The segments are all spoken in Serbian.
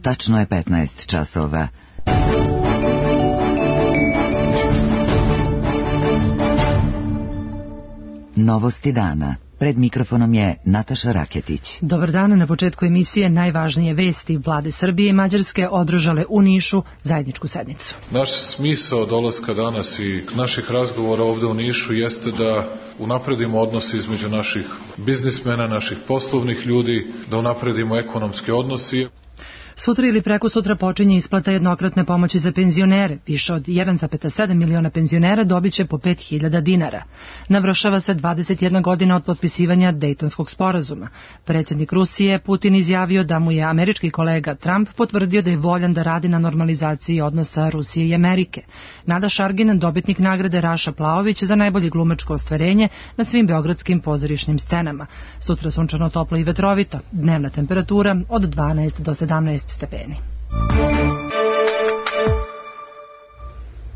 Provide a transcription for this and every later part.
tačno je 15 časova. Novosti dana. Pred mikrofonom je Nataša Raketić. Dobar dan, na početku emisije najvažnije vesti. Vlade Srbije i Mađarske održale u Nišu zajedničku sednicu. Naš smisao dolaska danas i naših razgovora ovde u Nišu jeste da unapredimo odnose između naših biznismena, naših poslovnih ljudi, da unapredimo ekonomske odnose. Sutra ili preko sutra počinje isplata jednokratne pomoći za penzionere. Više od 1,7 miliona penzionera dobit će po 5.000 dinara. Navršava se 21 godina od potpisivanja Dejtonskog sporazuma. Predsjednik Rusije Putin izjavio da mu je američki kolega Trump potvrdio da je voljan da radi na normalizaciji odnosa Rusije i Amerike. Nada Šargin, dobitnik nagrade Raša Plaović za najbolje glumačko ostvarenje na svim beogradskim pozorišnim scenama. Sutra sunčano, toplo i vetrovito. Dnevna temperatura od 12 do 17 stepeni.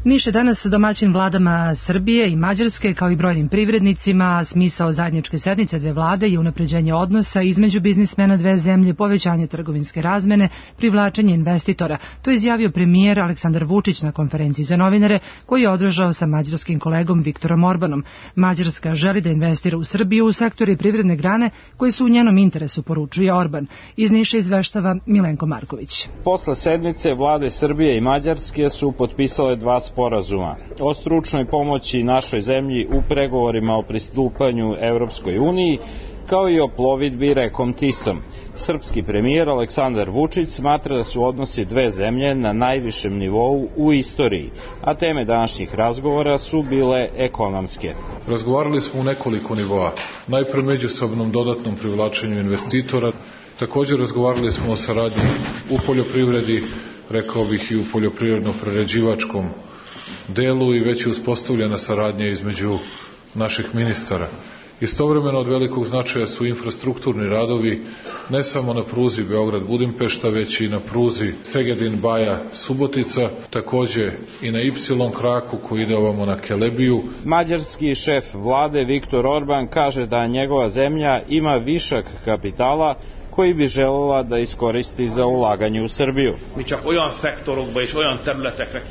Niš je danas domaćin vladama Srbije i Mađarske, kao i brojnim privrednicima. Smisao zajedničke sednice dve vlade je unapređenje odnosa između biznismena dve zemlje, povećanje trgovinske razmene, privlačenje investitora. To je izjavio premijer Aleksandar Vučić na konferenciji za novinare koju je održao sa mađarskim kolegom Viktorom Orbanom. Mađarska želi da investira u Srbiju u sektore privredne grane koje su u njenom interesu, poručuje Orban. Iz Niša izveštava Milenko Marković. Posle sednice vlade Srbije i Mađarske su potpisale dva sporazuma o stručnoj pomoći našoj zemlji u pregovorima o pristupanju Evropskoj uniji, kao i o plovidbi rekom Tisom. Srpski premijer Aleksandar Vučić smatra da su odnosi dve zemlje na najvišem nivou u istoriji, a teme današnjih razgovora su bile ekonomske. Razgovarali smo u nekoliko nivoa. Najpre međusobnom dodatnom privlačenju investitora. Također razgovarali smo o saradnji u poljoprivredi, rekao bih i u poljoprivredno-prerađivačkom delu, i već je uspostavljena saradnja između naših ministara. Istovremeno od velikog značaja su infrastrukturni radovi, ne samo na pruzi Beograd-Budimpešta, već i na pruzi Segedin-Baja-Subotica, takođe i na Y kraku koji ide ovamo na Kelebiju. Mađarski šef vlade Viktor Orban kaže da njegova zemlja ima višak kapitala koji bi želela da iskoristi za ulaganje u Srbiju.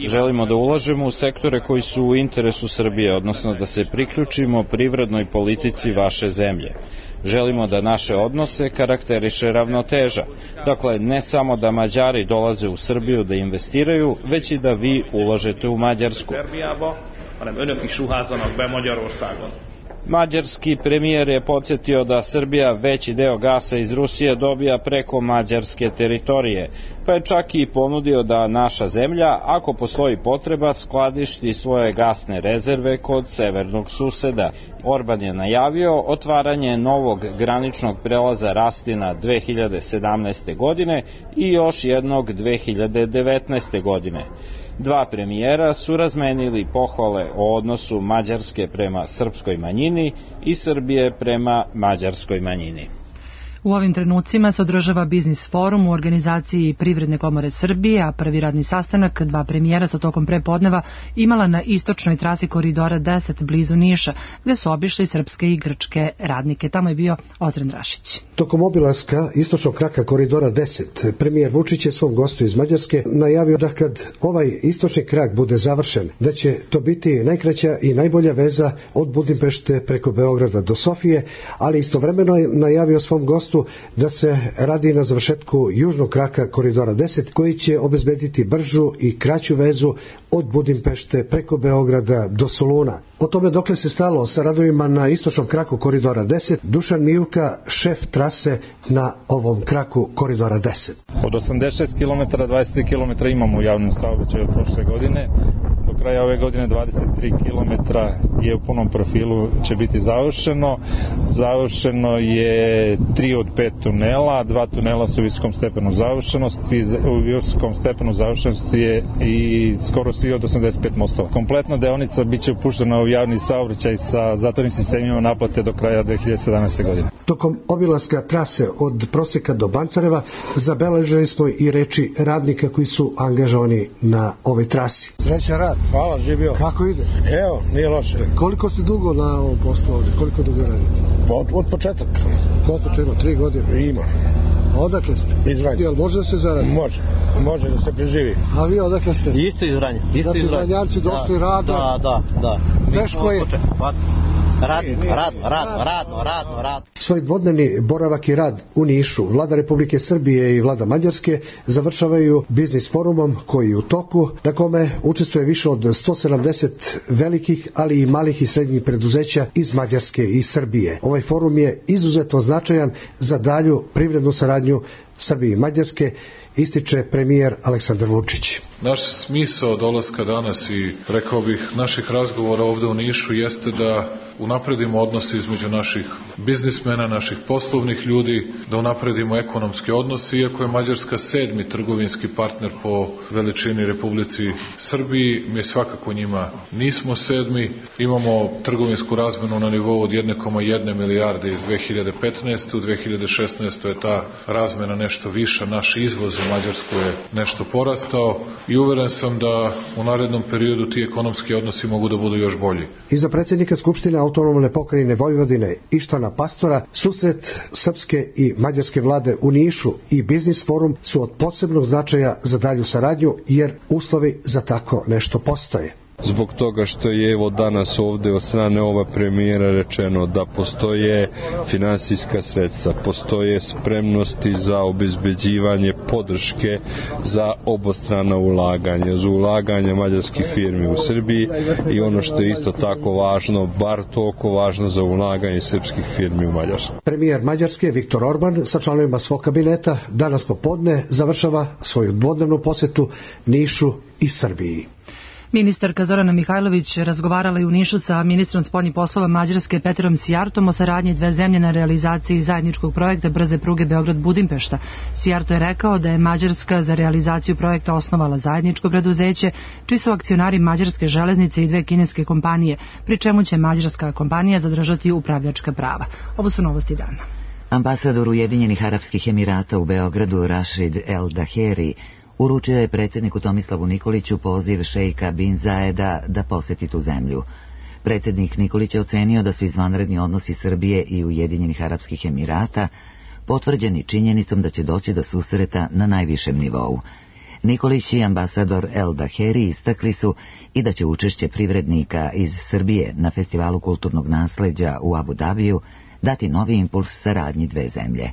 Želimo da ulažemo u sektore koji su u interesu Srbije, odnosno da se priključimo privrednoj politici vaše zemlje. Želimo da naše odnose karakteriše ravnoteža. Dakle, ne samo da Mađari dolaze u Srbiju da investiraju, već i da vi ulažete u Mađarsku. Mađarski premijer je podsjetio da Srbija veći deo gasa iz Rusije dobija preko mađarske teritorije, pa je čak i ponudio da naša zemlja, ako postoji potreba, skladišti svoje gasne rezerve kod severnog suseda. Orban je najavio otvaranje novog graničnog prelaza Rastina 2017. godine i još jednog 2019. godine. Dva premijera su razmenili pohvale o odnosu Mađarske prema srpskoj manjini i Srbije prema mađarskoj manjini. U ovim trenucima se održava biznis forum u organizaciji Privredne komore Srbije, a prvi radni sastanak dva premijera su tokom prepodneva imala na istočnoj trasi koridora 10 blizu Niša, gde su obišli srpske i grčke radnike. Tamo je bio Ozren Rašić. Tokom obilaska istočnog kraka koridora 10, premijer Vučić je svom gostu iz Mađarske najavio da kad ovaj istočni krak bude završen, da će to biti najkraća i najbolja veza od Budimpešte preko Beograda do Sofije, ali istovremeno je najavio svom gostu da se radi na završetku južnog kraka koridora 10 koji će obezbediti bržu i kraću vezu od Budimpešte preko Beograda do Soluna. O tome dokle se stalo sa radovima na istočnom kraku koridora 10, Dušan Mijuka, šef trase na ovom kraku koridora 10. Od 86 km, 23 km imamo u javnom saobraćaju od prošle godine. Do kraja ove godine 23 km je u punom profilu će biti završeno. Završeno je 3 od 5 tunela, 2 tunela su u visokom stepenu završenosti, u visokom stepenu završenosti je i skoro svi od 85 mostova. Kompletna deonica biće upuštena u javni saobraćaj sa zatvornim sistemima naplate do kraja 2017. godine. Tokom obilaska trase od Proseka do Bancareva zabeležili smo i reči radnika koji su angažovani na ovoj trasi. Srećan rad. Hvala, živio. Kako ide? Evo, nije loše. Koliko si dugo na ovom poslu ovdje? Koliko dugo radite? Od početaka. Koliko to ima? 3 godine? Ima. Odakle ste? Iz Vranja. Jel može da se zaradi? Može da se preživi. A vi odakle ste? Isto iz Vranja. Znači Vranjanci došli rada? Da. Teško je? Radno. Svoj dvodnevni boravak i rad u Nišu Vlada Republike Srbije i Vlada Mađarske završavaju biznis forumom koji je u toku, na kome učestvuje više od 170 velikih, ali i malih i srednjih preduzeća iz Mađarske i Srbije. Ovaj forum je izuzetno značajan za dalju privrednu saradnju Srbije i Mađarske, ističe premijer Aleksandar Vučić. Naš smisao dolaska danas i, rekao bih, naših razgovora ovde u Nišu jeste da unapredimo odnose između naših biznismena, naših poslovnih ljudi, da unapredimo ekonomske odnose, iako je Mađarska 7. trgovinski partner po veličini Republici Srbiji, mi svakako njima nismo 7. Imamo trgovinsku razmenu na nivou od 1,1 milijarde iz 2015. U 2016. je ta razmena nešto viša, naš izvoz u Mađarsku je nešto porastao i uveren sam da u narednom periodu ti ekonomski odnosi mogu da budu još bolji. Iza predsjednika Skupštine Autonomne pokrajine Vojvodine Ištvana Pastora, susret srpske i mađarske vlade u Nišu i biznis forum su od posebnog značaja za dalju saradnju, jer uslovi za tako nešto postoje. Zbog toga što je evo danas ovde od strane ova premijera rečeno da postoje finansijska sredstva, postoje spremnosti za obezbeđivanje podrške za obostrana ulaganja, za ulaganje mađarskih firmi u Srbiji i ono što je isto tako važno, bar toliko važno za ulaganje srpskih firmi u Mađarsku. Premijer Mađarske Viktor Orban sa članovima svog kabineta danas popodne završava svoju dvodnevnu posetu Nišu i Srbiji. Ministarka Zorana Mihajlović razgovarala je u Nišu sa ministrom spoljnih poslova Mađarske Peterom Sijartom o saradnji dve zemlje na realizaciji zajedničkog projekta brze pruge Beograd-Budimpešta. Sijarto je rekao da je Mađarska za realizaciju projekta osnovala zajedničko preduzeće, čiji su akcionari Mađarske železnice i dve kineske kompanije, pri čemu će mađarska kompanija zadržati upravljačka prava. Ovo su novosti dana. Ambasador Ujedinjenih Arapskih Emirata u Beogradu Rashid El Daheri uručio je predsjedniku Tomislavu Nikoliću poziv šejka bin Zaeda da poseti tu zemlju. Predsjednik Nikolić je ocenio da su izvanredni odnosi Srbije i Ujedinjenih Arapskih Emirata potvrđeni činjenicom da će doći do susreta na najvišem nivou. Nikolić i ambasador El Daheri istakli su i da će učešće privrednika iz Srbije na Festivalu kulturnog nasleđa u Abu Dabiju dati novi impuls saradnji dve zemlje.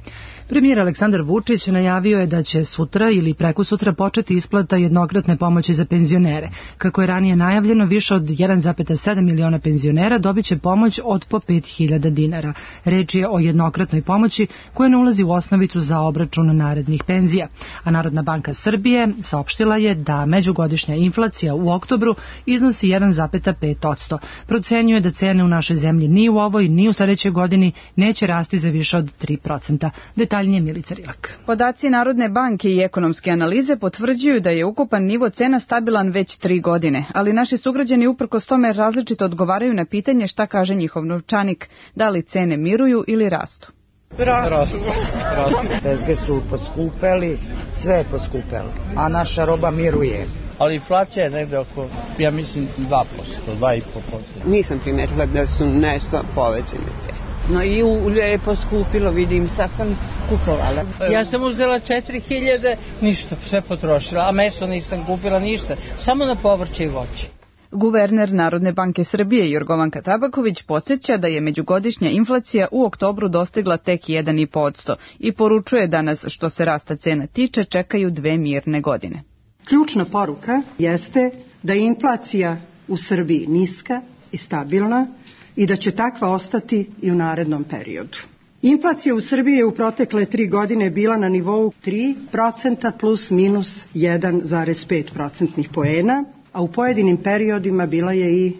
Premijer Aleksandar Vučić najavio je da će sutra ili prekosutra početi isplata jednokratne pomoći za penzionere. Kako je ranije najavljeno, više od 1,7 miliona penzionera dobit će pomoć od po 5.000 dinara. Reč je o jednokratnoj pomoći koja ne ulazi u osnovicu za obračun narednih penzija. A Narodna banka Srbije saopštila je da međugodišnja inflacija u oktobru iznosi 1,5%. Procenjuje da cene u našoj zemlji ni u ovoj ni u sledećoj godini neće rasti za više od 3%. Detaljnije Milica Rilak. Podaci Narodne banke i ekonomske analize potvrđuju da je ukupan nivo cena stabilan već 3 godine, ali naši sugrađani uprkos tome različito odgovaraju na pitanje šta kaže njihov novčanik, da li cene miruju ili rastu. Rastu. Tezge su poskupeli, sve je poskupelo, a naša roba miruje. Ali inflacija je negde oko, ja mislim, 2%, 2,5%. Nisam primetila da su nešto povećane cene. No i ulje je poskupilo, vidim, sad sam kupovala. Ja sam uzela 4.000, ništa, sve potrošila, a meso nisam kupila ništa, samo na povrće i voće. Guverner Narodne banke Srbije Jorgovanka Tabaković podsjeća da je međugodišnja inflacija u oktobru dostigla tek 1,5% i poručuje da nas, što se rasta cena tiče, čekaju 2 mirne godine. Ključna poruka jeste da je inflacija u Srbiji niska i stabilna i da će takva ostati i u narednom periodu. Inflacija u Srbiji je u protekle 3 godine bila na nivou 3% plus minus 1,5% poena, a u pojedinim periodima bila je i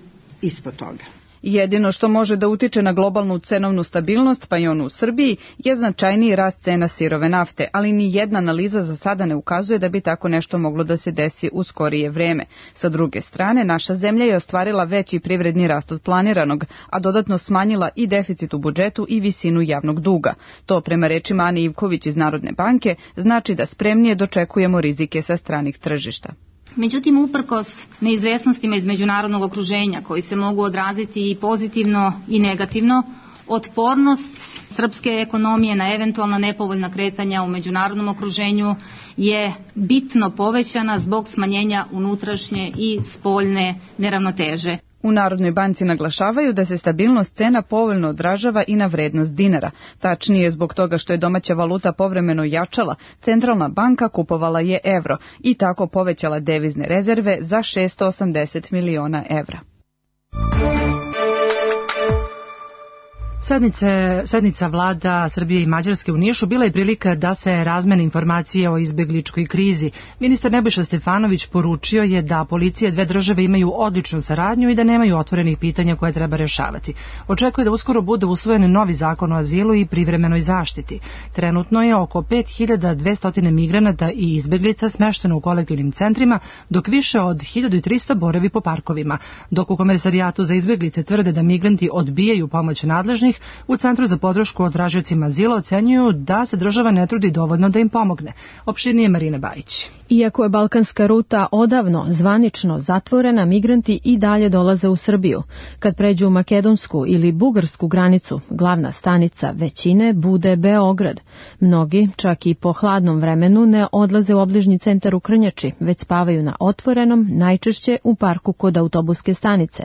ispod toga. Jedino što može da utiče na globalnu cenovnu stabilnost, pa i onu u Srbiji, je značajniji rast cena sirove nafte, ali ni jedna analiza za sada ne ukazuje da bi tako nešto moglo da se desi u skorije vreme. Sa druge strane, naša zemlja je ostvarila veći privredni rast od planiranog, a dodatno smanjila i deficit u budžetu i visinu javnog duga. To, prema rečima Ane Ivković iz Narodne banke, znači da spremnije dočekujemo rizike sa stranih tržišta. Međutim, uprkos neizvesnostima iz međunarodnog okruženja koji se mogu odraziti i pozitivno i negativno, Otpornost srpske ekonomije na eventualna nepovoljna kretanja u međunarodnom okruženju je bitno povećana zbog smanjenja unutrašnje i spoljne neravnoteže. U Narodnoj banci naglašavaju da se stabilnost cena povoljno odražava i na vrednost dinara. Tačnije, zbog toga što je domaća valuta povremeno jačala, centralna banka kupovala je evro i tako povećala devizne rezerve za 680 miliona evra. Sednica vlada Srbije i Mađarske u Nišu bila je prilika da se razmene informacije o izbegličkoj krizi. Ministar Nebojša Stefanović poručio je da policije dve države imaju odličnu saradnju i da nemaju otvorenih pitanja koje treba rešavati. Očekuje da uskoro bude usvojen novi zakon o azilu i privremenoj zaštiti. Trenutno je oko 5200 migranata i izbeglica smešteno u kolektivnim centrima, dok više od 1300 boravi po parkovima. Dok u Komesarijatu za izbeglice tvrde da migranti odbijaju pomoć nadležnih, u Centru za podršku tražiocima azila ocenjuju da se država ne trudi dovoljno da im pomogne. Opširnije Marina Bajić. Iako je balkanska ruta odavno zvanično zatvorena, migranti i dalje dolaze u Srbiju. Kad pređu u makedonsku ili bugarsku granicu, glavna stanica većine bude Beograd. Mnogi, čak i po hladnom vremenu, ne odlaze u obližnji centar u Krnjači, već spavaju na otvorenom, najčešće u parku kod autobuske stanice.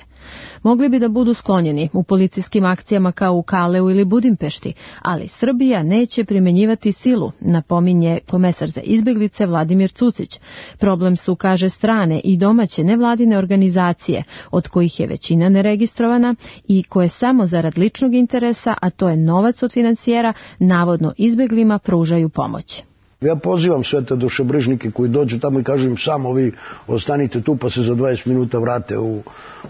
Mogli bi da budu sklonjeni u policijskim akcijama kao u Kaleu ili Budimpešti, ali Srbija neće primenjivati silu, napominje komesar za izbeglice Vladimir Cucić. Problem su, kaže, strane i domaće nevladine organizacije, od kojih je većina neregistrovana i koje samo zarad ličnog interesa, a to je novac od finansijera, navodno izbeglima pružaju pomoć. Ja pozivam sve te dušebrižnike koji dođu tamo i kažu im samo vi ostanite tu pa se za 20 minuta vrate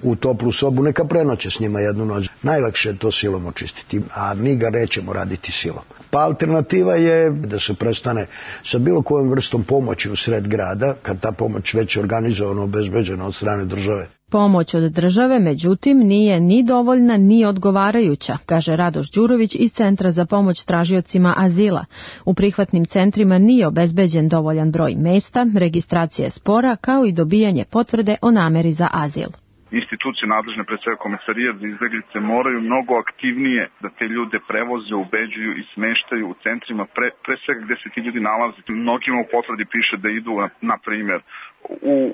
u toplu sobu, neka prenoće s njima jednu noć. Najlakše je to silom očistiti, a mi ga nećemo raditi silom. Pa alternativa je da se prestane sa bilo kojom vrstom pomoći u sred grada, kad ta pomoć već je organizovano, obezbeđena od strane države. Pomoć od države, međutim, nije ni dovoljna ni odgovarajuća, kaže Radoš Đurović iz Centra za pomoć tražiocima azila. U prihvatnim centrima nije obezbeđen dovoljan broj mesta, registracija je spora, kao i dobijanje potvrde o nameri za azil. Institucije nadležne, pre svega Komesarijat za izbeglice, moraju mnogo aktivnije da te ljude prevoze, ubeđuju i smeštaju u centrima, pre svega gde se ti ljudi nalaze. Mnogima u potvrdi piše da idu, na primjer,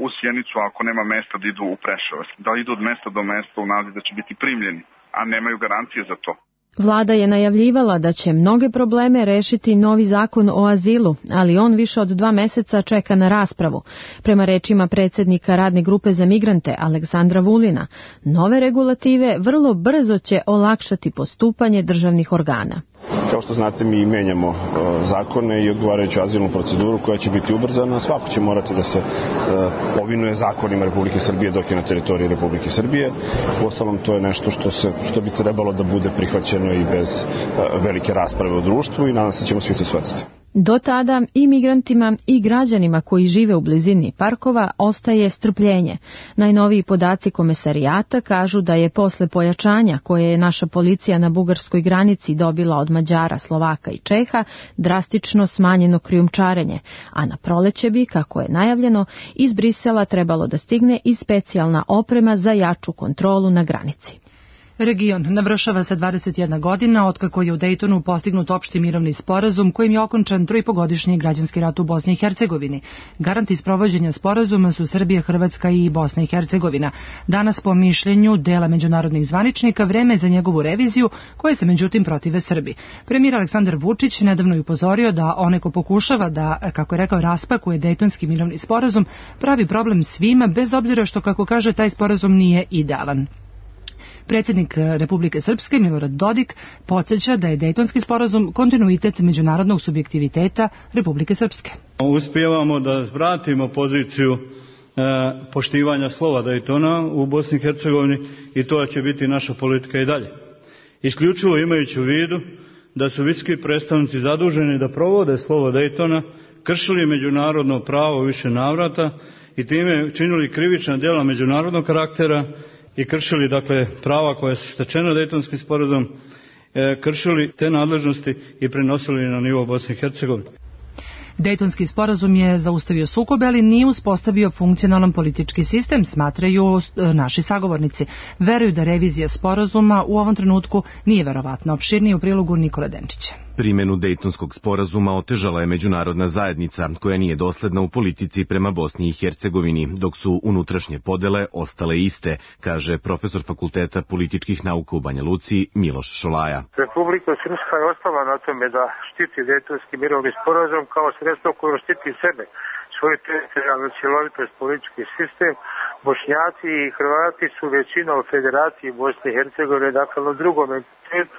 u Sjenicu, ako nema mesta, da idu u Preševo. Da idu od mesta do mesta u nadi da će biti primljeni, a nemaju garancije za to. Vlada je najavljivala da će mnoge probleme rešiti novi zakon o azilu, ali on više od 2 meseca čeka na raspravu. Prema rečima predsjednika radne grupe za migrante Aleksandra Vulina, nove regulative vrlo brzo će olakšati postupanje državnih organa. Kao što znate, mi menjamo zakone i odgovarajuću azilnu proceduru koja će biti ubrzana. Svako će morati da se povinuje zakonima Republike Srbije dok je na teritoriji Republike Srbije. Uostalom, to je nešto što bi trebalo da bude prihvaćeno i bez velike rasprave u društvu i nadam se da ćemo svi to shvatiti. Do tada i migrantima i građanima koji žive u blizini parkova ostaje strpljenje. Najnoviji podaci Komesarijata kažu da je posle pojačanja koje je naša policija na bugarskoj granici dobila od Mađara, Slovaka i Čeha drastično smanjeno krijumčarenje, a na proleće bi, kako je najavljeno, iz Brisela trebalo da stigne i specijalna oprema za jaču kontrolu na granici. Region navršava se 21 godina otkako je u Dejtonu postignut opšti mirovni sporazum kojim je okončan 3,5-godišnji građanski rat u Bosni i Hercegovini. Garanti sprovođenja sporazuma su Srbija, Hrvatska i Bosna i Hercegovina. Danas, po mišljenju dela međunarodnih zvaničnika, vreme je za njegovu reviziju, koje se međutim protive Srbiji. Premijer Aleksandar Vučić nedavno je upozorio da onaj ko pokušava da, kako je rekao, raspakuje Dejtonski mirovni sporazum, pravi problem svima, bez obzira što, kako kaže, taj sporazum nije idealan. Predsjednik Republike Srpske Milorad Dodik podsjeća da je Dejtonski sporazum kontinuitet međunarodnog subjektiviteta Republike Srpske. Uspijevamo da vratimo poziciju poštivanja slova Dejtona u Bosni i Hercegovini i to će biti naša politika i dalje. Isključivo imajući u vidu da su visoki predstavnici zaduženi da provode slovo Dejtona, kršili međunarodno pravo više navrata i time činili krivična djela međunarodnog karaktera i kršili, dakle, prava koja su stečena Dejtonskim sporazumom, kršili te nadležnosti i prenosili na nivo Bosne i Hercegovine. Dejtonski sporazum je zaustavio sukobe, ali nije uspostavio funkcionalan politički sistem, smatraju naši sagovornici. Veruju da revizija sporazuma u ovom trenutku nije verovatna. Opširnije u prilogu Nikola Denčića. Primjenu Dejtonskog sporazuma otežala je međunarodna zajednica, koja nije dosledna u politici prema Bosni i Hercegovini, dok su unutrašnje podele ostale iste, kaže profesor Fakulteta političkih nauka u Banja Luci Miloš Šolaja. Republika Srpska je ostala na tome da štiti Dejtonski mirovni sporazum kao sredstvo koje štiti sebe, svoju teritorijalnu cjelovitost, politički sistem. Bošnjaci i Hrvati su većina u Federaciji Bosne i Hercegovine, dakle na drugom entitetu.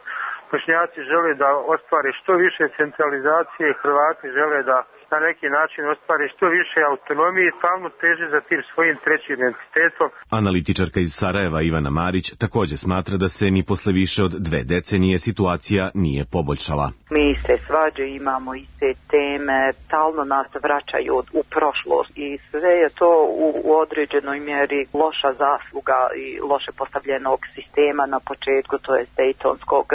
Bošnjaci žele da ostvare što više centralizacije, Hrvati žele da na neki način ostvare što više autonomije i stalno teže za tim svojim trećim entitetom. Analitičarka iz Sarajeva Ivana Marić također smatra da se ni posle više od 2 decenije situacija nije poboljšala. Mi se svađe, imamo iste teme, stalno nas vraćaju u prošlost i sve je to u određenoj mjeri loša zasluga i loše postavljenog sistema na početku, to je Dejtonskog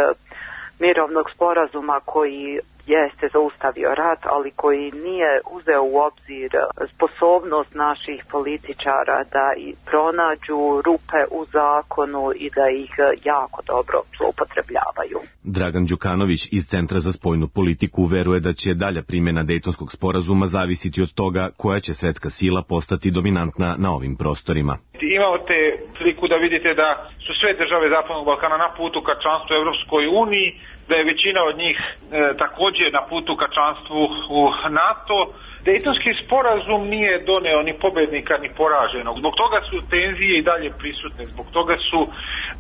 mirovnog sporazuma koji jeste zaustavio rat, ali koji nije uzeo u obzir sposobnost naših političara da i pronađu rupe u zakonu i da ih jako dobro zloupotrebljavaju. Dragan Đukanović iz Centra za spoljnu politiku veruje da će dalja primjena Dejtonskog sporazuma zavisiti od toga koja će svetska sila postati dominantna na ovim prostorima. Imate priliku da vidite da su sve države Zapadnog Balkana na putu ka članstvu u Evropskoj uniji, da je većina od njih također na putu ka članstvu u NATO. Dejtonski sporazum nije doneo ni pobednika ni poraženog. Zbog toga su tenzije i dalje prisutne, zbog toga su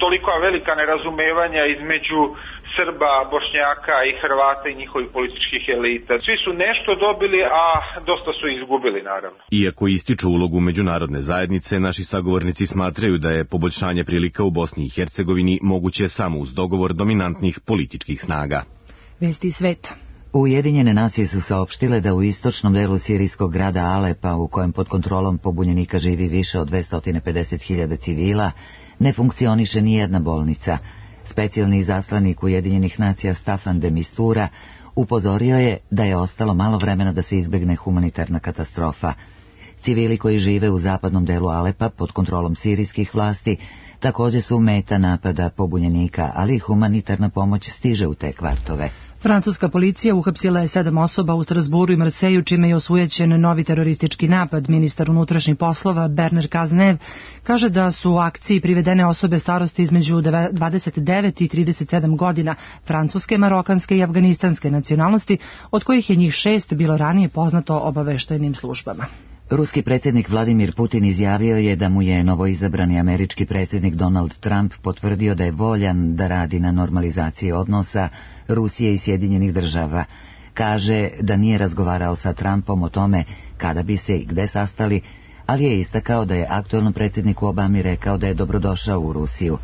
toliko velika nerazumevanja između Srba, Bošnjaka i Hrvata i njihovih političkih elita. Svi su nešto dobili, a dosta su izgubili, naravno. Iako ističu ulogu međunarodne zajednice, naši sagovornici smatraju da je poboljšanje prilika u Bosni i Hercegovini moguće samo uz dogovor dominantnih političkih snaga. Vesti sveta. Ujedinjene nacije su saopštile da u istočnom delu sirijskog grada Alepa, u kojem pod kontrolom pobunjenika živi više od 250.000 civila, ne funkcioniše nijedna bolnica. Specijalni izaslanik Ujedinjenih nacija Staffan de Mistura upozorio je da je ostalo malo vremena da se izbegne humanitarna katastrofa. Civili koji žive u zapadnom delu Alepa pod kontrolom sirijskih vlasti također su meta napada pobunjenika, ali humanitarna pomoć stiže u te kvartove. Francuska policija uhapsila je 7 osoba u Strasburu i Marseju, čime je osujećen novi teroristički napad. Ministar unutrašnjih poslova Bernard Cazeneuve kaže da su u akciji privedene osobe starosti između 29 i 37 godina, francuske, marokanske i afganistanske nacionalnosti, od kojih je njih 6 bilo ranije poznato obaveštajnim službama. Ruski predsjednik Vladimir Putin izjavio je da mu je novoizabrani američki predsjednik Donald Trump potvrdio da je voljan da radi na normalizaciji odnosa Rusije i Sjedinjenih Država. Kaže da nije razgovarao sa Trumpom o tome kada bi se i gde sastali, ali je istakao da je aktuelnom predsjedniku Obami rekao da je dobrodošao u Rusiju.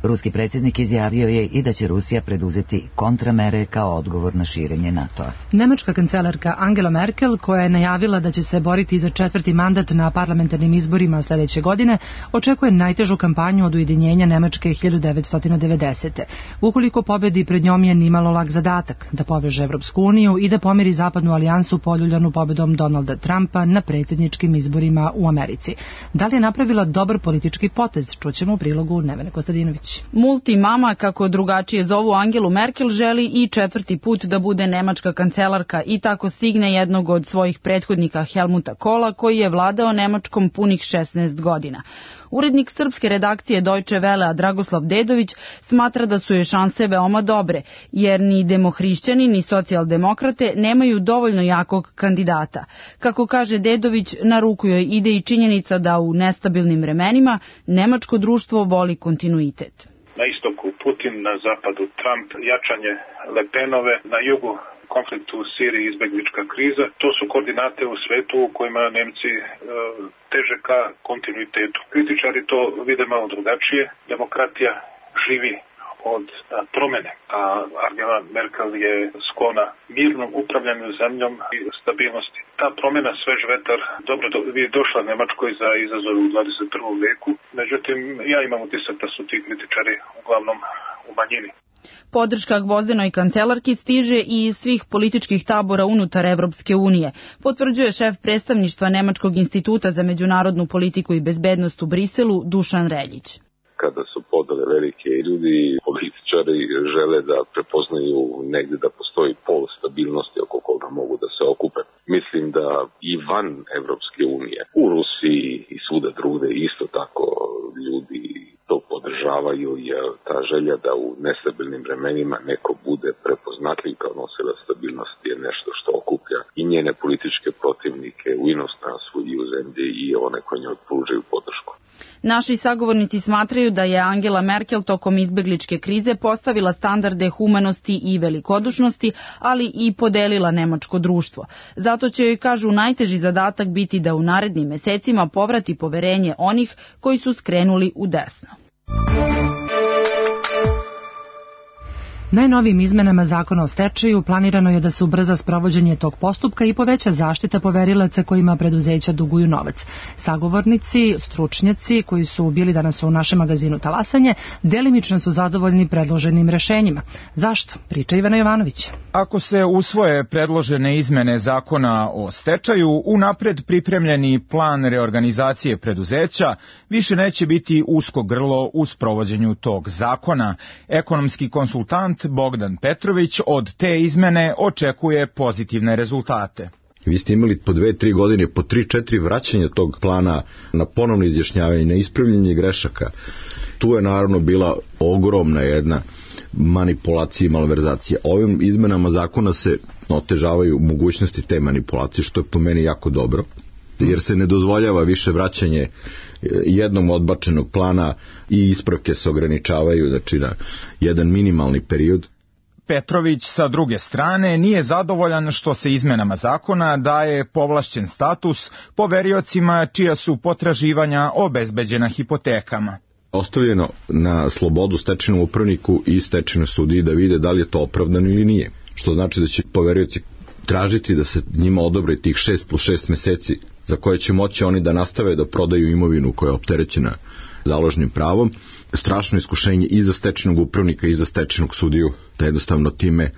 Ruski predsjednik izjavio je i da će Rusija preduzeti kontramere kao odgovor na širenje NATO-a. Nemačka kancelarka Angela Merkel, koja je najavila da će se boriti za 4. mandat na parlamentarnim izborima sljedeće godine, očekuje najtežu kampanju od ujedinjenja Nemačke 1990. Ukoliko pobedi, pred njom je nimalo lak zadatak da poveže Evropsku uniju i da pomiri zapadnu alijansu poljuljanu pobedom Donalda Trumpa na predsjedničkim izborima u Americi. Da li je napravila dobar politički potez? Čućemo u prilogu Nevene Kostadinović. Multimama, kako drugačije zovu Angelu Merkel, želi i 4. put da bude nemačka kancelarka i tako stigne jednog od svojih prethodnika Helmuta Kohla, koji je vladao Nemačkom punih 16 godina. Urednik srpske redakcije Deutsche Welle Dragoslav Dedović smatra da su je šanse veoma dobre, jer ni demohrišćani ni socijaldemokrate nemaju dovoljno jakog kandidata. Kako kaže Dedović, na ruku joj ide i činjenica da u nestabilnim vremenima nemačko društvo voli kontinuitet. Na istoku Putin, na zapadu Trump, jačanje Le Penove, na jugu konflikt u Siriji, izbeglička kriza. To su koordinate u svetu u kojima Nemci teže ka kontinuitetu. Kritičari to vide malo drugačije. Demokratija živi od promene, a Angela Merkel je sklona mirnom upravljanju zemljom i stabilnosti. Ta promjena, svež vetar, dobro je došla Nemačkoj za izazov u 21. veku, međutim ja imam utisak da su ti kritičari uglavnom u manjini. Podrška Gvozdenoj kancelarki stiže i iz svih političkih tabora unutar Evropske unije, potvrđuje šef predstavništva Nemačkog instituta za međunarodnu politiku i bezbednost u Briselu, Dušan Reljić. Kada su podele velike i ljudi, političari žele da prepoznaju negde da postoji pol stabilnosti oko koga mogu da se okupe. Mislim da i van Evropske unije, u Rusiji i svuda drugde isto tako ljudi to podržavaju, jer ta želja da u nestabilnim vremenima neko bude prepoznatljiv kao nosilac stabilnosti je nešto što okuplja i njene političke protivnike u inostranstvu i u zemlji i one koji njoj pružaju podršku. Naši sagovornici smatraju da je Angela Merkel tokom izbegličke krize postavila standarde humanosti i velikodušnosti, ali i podelila nemačko društvo. Zato će joj, kažu, najteži zadatak biti da u narednim mesecima povrati poverenje onih koji su skrenuli u desno. Najnovijim izmenama zakona o stečaju planirano je da se ubrza sprovođenje tog postupka i poveća zaštita poverilaca kojima preduzeća duguju novac. Sagovornici, stručnjaci koji su bili danas u našem magazinu Talasanje, delimično su zadovoljni predloženim rešenjima. Zašto? Priča Ivana Jovanović. Ako se usvoje predložene izmene zakona o stečaju, unapred pripremljeni plan reorganizacije preduzeća više neće biti usko grlo u sprovođenju tog zakona. Ekonomski konsultant Bogdan Petrović od te izmene očekuje pozitivne rezultate. Vi ste imali po 2-3 godine, po 3-4 vraćanja tog plana na ponovno izjašnjavanje, na ispravljanje grešaka. Tu je naravno bila ogromna jedna manipulacija i malverzacija. Ovim izmenama zakona se otežavaju mogućnosti te manipulacije, što je po meni jako dobro, jer se ne dozvoljava više vraćanje jednom odbačenog plana i ispravke se ograničavaju, znači na jedan minimalni period. Petrović sa druge strane nije zadovoljan što se izmenama zakona daje povlašćen status poveriocima čija su potraživanja obezbeđena hipotekama. Ostavljeno na slobodu stečajnom upravniku i stečajnoj sudiji da vide da li je to opravdano ili nije. Što znači da će poverioci tražiti da se njima odobri tih 6+6 meseci za koje će moći oni da nastave da prodaju imovinu koja je opterećena založnim pravom. Strašno iskušenje i za stečajnog upravnika i za stečajnog sudiju da jednostavno time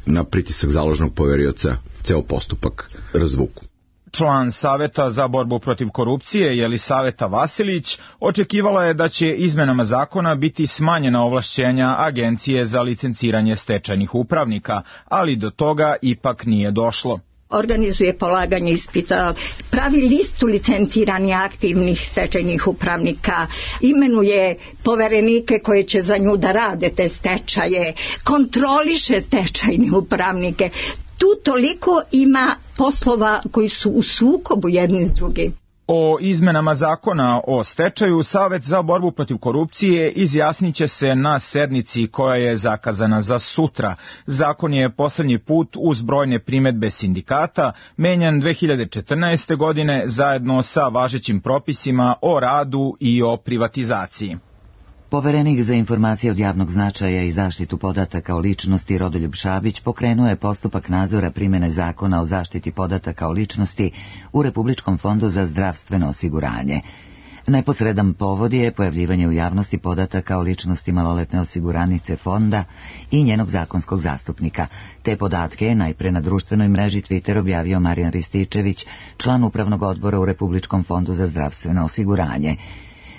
na pritisak založnog poverioca ceo postupak razvuku. Član Saveta za borbu protiv korupcije, Jelisaveta Vasilić, očekivala je da će izmenama zakona biti smanjena ovlašćenja Agencije za licenciranje stečajnih upravnika, ali do toga ipak nije došlo. Organizuje polaganje ispita, pravi listu licenciranih aktivnih stečajnih upravnika, imenuje poverenike koje će za nju da rade te stečaje, kontroliše stečajne upravnike. Tu toliko ima poslova koji su u sukobu jedni s drugim. O izmenama zakona o stečaju Savet za borbu protiv korupcije izjasniće se na sednici koja je zakazana za sutra. Zakon je poslednji put uz brojne primedbe sindikata menjan 2014. godine zajedno sa važećim propisima o radu i o privatizaciji. Poverenik za informacije od javnog značaja i zaštitu podataka o ličnosti Rodoljub Šabić pokrenuo je postupak nadzora primene zakona o zaštiti podataka o ličnosti u Republičkom fondu za zdravstveno osiguranje. Neposredan povod je pojavljivanje u javnosti podataka o ličnosti maloletne osiguranice fonda i njenog zakonskog zastupnika. Te podatke je najpre na društvenoj mreži Twitter objavio Marijan Rističević, član upravnog odbora u Republičkom fondu za zdravstveno osiguranje.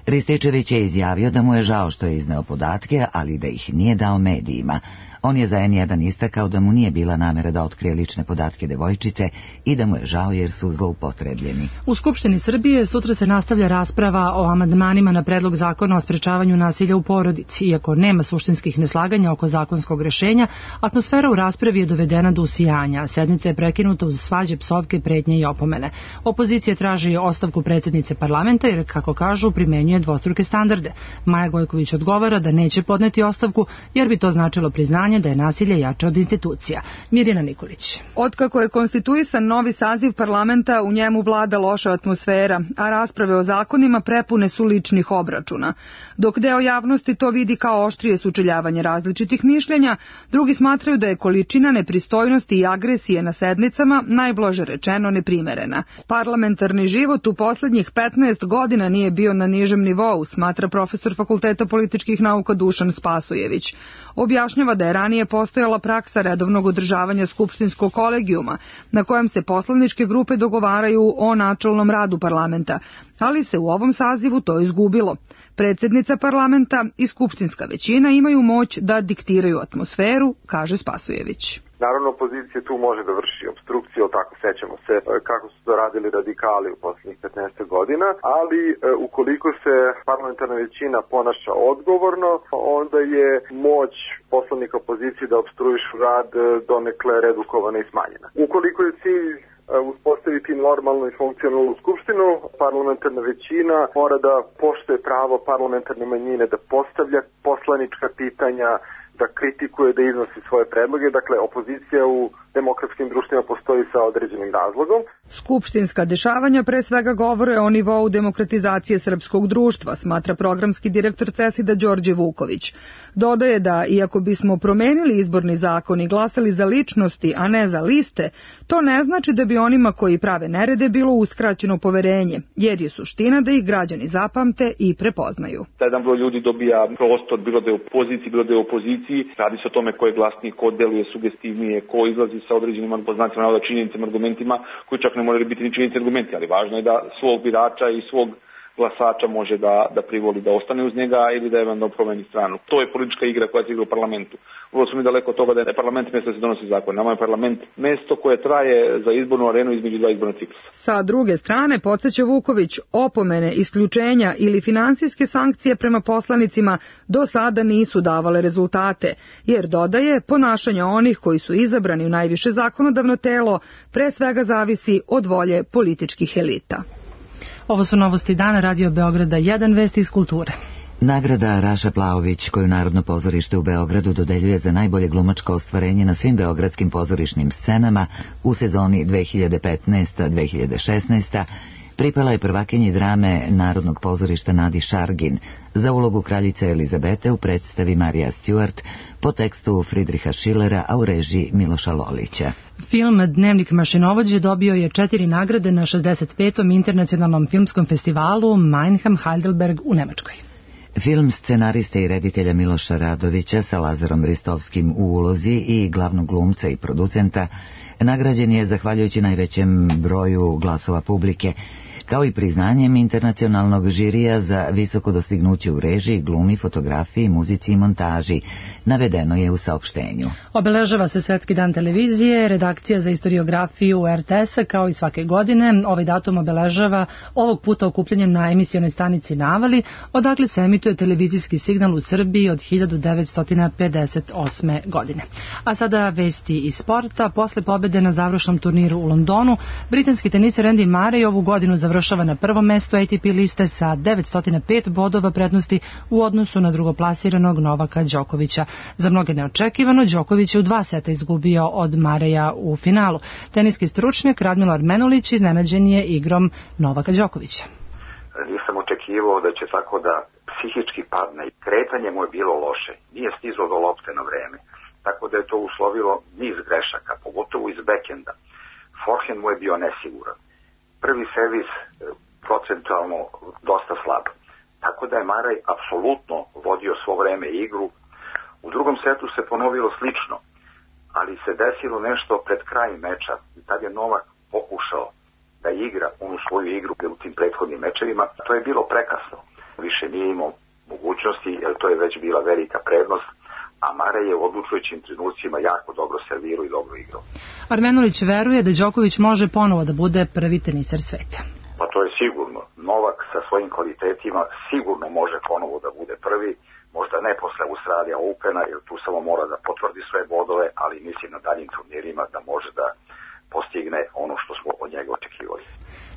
Rističević je izjavio da mu je žao što je izneo podatke, ali da ih nije dao medijima. On je za N1 istakao da mu nije bila namera da otkrije lične podatke devojčice i da mu je žao jer su zloupotrebljeni. U Skupštini Srbije sutra se nastavlja rasprava o amandmanima na predlog zakona o sprečavanju nasilja u porodici. Iako nema suštinskih neslaganja oko zakonskog rešenja, atmosfera u raspravi je dovedena do usijanja. Sednica je prekinuta uz svađe, psovke, pretnje i opomene. Opozicija traži ostavku predsjednice parlamenta jer, kako kažu, primenjuje dvostruke standarde. Maja Gojković odgovara da neće podneti ostavku jer bi to značilo priznanje opravdanje da je nasilje jače od institucija. Mirjana Nikolić. Otkako je konstituisan novi saziv parlamenta, u njemu vlada loša atmosfera, a rasprave o zakonima prepune su ličnih obračuna. Dok deo javnosti to vidi kao oštrije sučeljavanje različitih mišljenja, drugi smatraju da je količina nepristojnosti i agresije na sednicama, najblaže rečeno, neprimerena. Parlamentarni život u poslednjih 15 godina nije bio na nižem nivou, smatra profesor Fakulteta političkih nauka Dušan Spasojević. Objašnjava da je ranije postojala praksa redovnog održavanja skupštinskog kolegijuma, na kojem se poslaničke grupe dogovaraju o načelnom radu parlamenta, ali se u ovom sazivu to izgubilo. Predsjednica parlamenta i skupštinska većina imaju moć da diktiraju atmosferu, kaže Spasojević. Naravno, opozicija tu može da vrši obstrukciju, tako sećamo se kako su to radili radikali u poslednjih 15 godina, ali ukoliko se parlamentarna većina ponaša odgovorno, onda je moć poslanika opozicije da obstruišu rad donekle redukovana i smanjena. Ukoliko je cilj uspostaviti normalnu i funkcionalnu skupštinu, parlamentarna većina mora da poštuje pravo parlamentarne manjine da postavlja poslanička pitanja, da kritikuje, da iznosi svoje predloge. Dakle, opozicija u demokratskim društvima postoji sa određenim razlogom. Skupštinska dešavanja pre svega govore o nivou demokratizacije srpskog društva, smatra programski direktor CESID-a Đorđe Vuković. Dodaje da, iako bismo promenili izborni zakon i glasali za ličnosti, a ne za liste, to ne znači da bi onima koji prave nerede bilo uskraćeno poverenje, jer je suština da ih građani zapamte i prepoznaju. Jedan broj ljudi dobija prostor, bilo da je u poziciji, bilo da je u opoziciji. Radi se o tome ko je glasniji, ko deluje sugestivnije, ko izlazi sa određenim poznacima navoda, činjenicama, argumentima, koji čak ne moraju biti ni činjenice argumenti, ali važno je da svog birača i svog glasača može da privoli da ostane uz njega ili da eventualno promeni stranu. To je politička igra koja se igra u parlamentu. Vrlo smo mi daleko od toga da je parlament mesto da se donosi zakon. Nama je parlament mesto koje traje za izbornu arenu između dva izborna ciklusa. Sa druge strane, podsjeća Vuković, opomene, isključenja ili finansijske sankcije prema poslanicima do sada nisu davale rezultate, jer dodaje, ponašanje onih koji su izabrani u najviše zakonodavno telo pre svega zavisi od volje političkih elita. Ovo su novosti dana Radio Beograda 1, vesti iz kulture. Nagrada Raša Plaović, koju Narodno pozorište u Beogradu dodeljuje za najbolje glumačko ostvarenje na svim beogradskim pozorišnim scenama u sezoni 2015-2016, pripala je prvakinji drame Narodnog pozorišta Nadi Šargin za ulogu kraljice Elizabete u predstavi Marija Stewart po tekstu Friedricha Schillera, a u režiji Miloša Lolića. Film Dnevnik mašinovođe dobio je 4 nagrade na 65. internacionalnom filmskom festivalu Mannheim-Heidelberg u Nemačkoj. Film scenariste i reditelja Miloša Radovića sa Lazarom Ristovskim u ulozi i glavnog glumca i producenta nagrađen je zahvaljujući najvećem broju glasova publike, kao i priznanjem internacionalnog žirija za visoko dostignuće u režiji, glumi, fotografiji, muzici i montaži, navedeno je u saopštenju. Obeležava se Svetski dan televizije, redakcija za istoriografiju RTS-a, kao i svake godine. Ovaj datum obeležava ovog puta okupljanjem na emisionoj stanici Navali, odakle se emituje televizijski signal u Srbiji od 1958. godine. A sada vesti iz sporta. Posle pobede na završnom turniru u Londonu, britanski teniser Andy Murray ovu godinu završava na prvom mestu ATP liste sa 905 bodova prednosti u odnosu na drugoplasiranog Novaka Đokovića. Za mnoge neočekivano, Đoković je u 2 seta izgubio od Mareja u finalu. Teniski stručnjak Radmilo Armenulić iznenađen je igrom Novaka Đokovića. Nisam očekivao da će tako da psihički padne i kretanje mu je bilo loše. Nije stizao do lopte na vreme. Tako da je to uslovilo niz grešaka, pogotovo iz bekenda. Forehand mu je bio nesiguran. Prvi servis procentualno dosta slab. Tako da je Maraj apsolutno vodio svo vreme igru. U drugom setu se ponovilo slično, ali se desilo nešto pred krajem meča. Tad je Novak pokušao da igra onu svoju igru u tim prethodnim mečevima. To je bilo prekasno. Više nije imao mogućnosti, jer to je već bila velika prednost, a Maraj je u odlučujućim trenucima jako dobro servirao i dobro igrao. Armenulić veruje da Đoković može ponovo da bude prvi teniser sveta. Pa to je sigurno. Novak sa svojim kvalitetima sigurno može ponovo da bude prvi, možda ne posle Australija Opena, jer tu samo mora da potvrdi sve bodove, ali mislim na daljim turnirima da može postigne ono što smo od njega očekivali.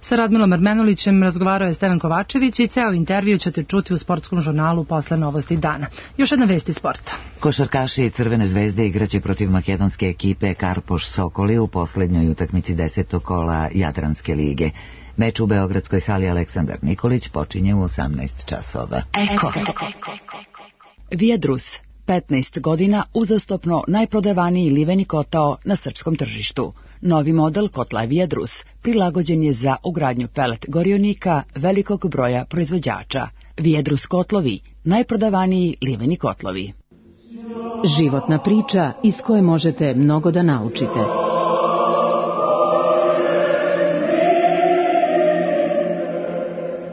Sa Radmilom Armenulićem razgovarao je Stevan Kovačević i ceo intervju ćete čuti u sportskom žurnalu posle novosti dana. Još jedna vest iz sporta. Košarkaši Crvene zvezde igraće protiv makedonske ekipe Karpoš Sokoli u poslednjoj utakmici 10. kola Jadranske lige. Meč u beogradskoj hali Aleksandar Nikolić počinje u 18 časova. Viadrus, 15 godina uzastopno najprodavaniji liveni kotao na srpskom tržištu. Novi model kotla Viadrus prilagođen je za ugradnju pelet gorionika velikog broja proizvođača. Viadrus kotlovi, najprodavaniji liveni kotlovi. Životna priča iz koje možete mnogo da naučite.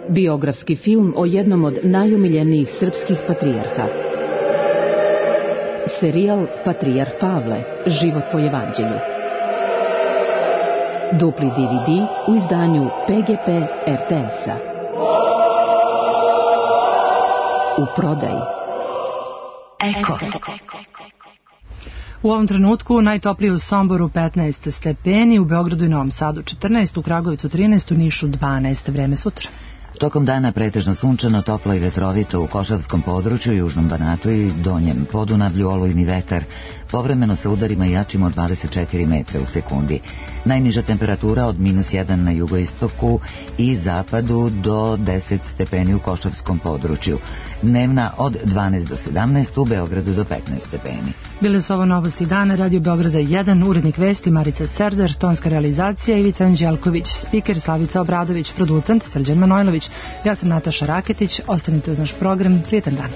Biografski film o jednom od najumiljenijih srpskih patrijarha. Serijal Patrijarh Pavle, život po evanđelju. Dupli DVD u izdanju PGP RTS-a. U prodaji. Eko. U ovom trenutku najtoplije u Somboru 15 stepeni, u Beogradu i Novom Sadu 14, u Kragovicu 13, u Nišu 12, vreme sutra. Tokom dana pretežno sunčano, toplo i vetrovito u Košavskom području, Južnom Banatu i Donjem Podunavlju, olujni vetar, povremeno sa udarima jačim od 24 metra u sekundi. Najniža temperatura od -1 na jugoistoku i zapadu do 10 stepeni u Košavskom području. Dnevna od 12 do 17, u Beogradu do 15 stepeni. Bile su ovo novosti dana, Radio Beograda 1, urednik vesti Marica Serder, tonska realizacija Ivica Anđelković, spiker Slavica Obradović, producent Srđan Manojlović. Ja sam Nataša Raketić, ostanite uz naš program, prijetan dan.